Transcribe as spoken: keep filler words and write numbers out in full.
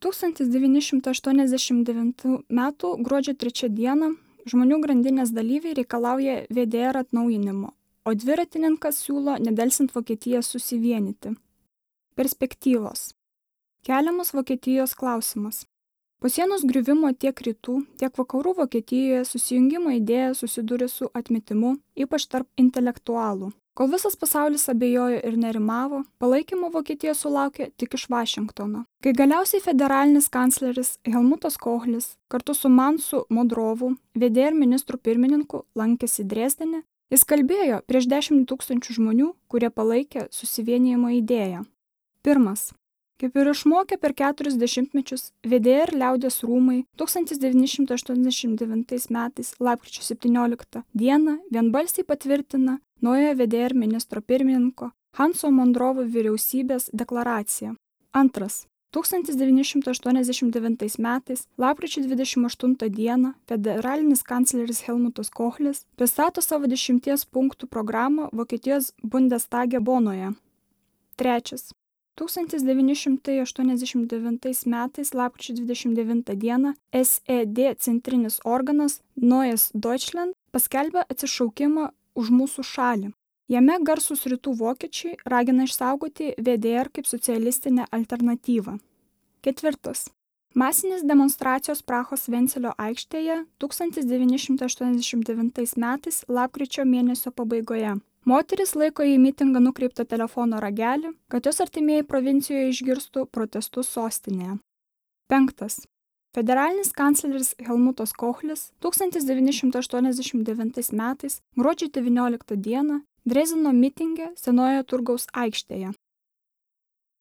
tūkstantis devyni šimtai aštuoniasdešimt devintų metų gruodžio trečią dieną žmonių grandinės dalyviai reikalauja V D R atnaujinimo, o dviratininkas siūlo nedelsint Vokietiją susivienyti. Perspektyvos. Keliamas Vokietijos klausimas. Po sienos griuvimo tiek rytų, tiek vakarų Vokietijoje susijungimo idėja susidūrė su atmetimu, ypač tarp intelektualų. Kol visas pasaulis abejojo ir nerimavo, palaikymo Vokietija sulaukė tik iš Vašingtono. Kai galiausiai federalinis kancleris Helmutas Kohlis kartu su Mansu Modrovu, V D R ministru pirmininku, lankėsi Dresdene, jis kalbėjo prieš dešimt tūkstančių žmonių, kurie palaikė susivienijimo idėją. Pirmas. Kaip ir išmokė per keturis dešimtmečius, V D R liaudies rūmai tūkstantis devyni šimtai aštuoniasdešimt devintais metais lapkričio septynioliktą dieną vienbalsiai patvirtina naujojo V D R ministro pirmininko Hanso Mondrovo vyriausybės deklaraciją. Antras. tūkstantis devyni šimtai aštuoniasdešimt devintais metais lapkričio dvidešimt aštuntą dieną federalinis kancleris Helmutas Kohlis pristato savo dešimties punktų programą Vokietijos Bundestage Bonoje. Trečias. tūkstantis devyni šimtai aštuoniasdešimt devintais metais lapkričio dvidešimt devintą dieną S E D centrinis organas Neues Deutschland paskelbė atsišaukimą už mūsų šalį. Jame garsūs rytų vokiečiai ragina išsaugoti V D R kaip socialistinę alternatyvą. Ketvirtas. Masinės demonstracijos Prahos Vencelio aikštėje tūkstantis devyni šimtai aštuoniasdešimt devintais metais lapkričio mėnesio pabaigoje. Moteris laiko į mitingą nukreiptą telefono ragelį, kad jos artimieji provincijoje išgirstų protestus sostinėje. Penktas. Federalinis kancleris Helmutas Kohlis tūkstantis devyni šimtai aštuoniasdešimt devintais metais gruodžio devynioliktą dieną Drezdeno mitinge Senojoje turgaus aikštėje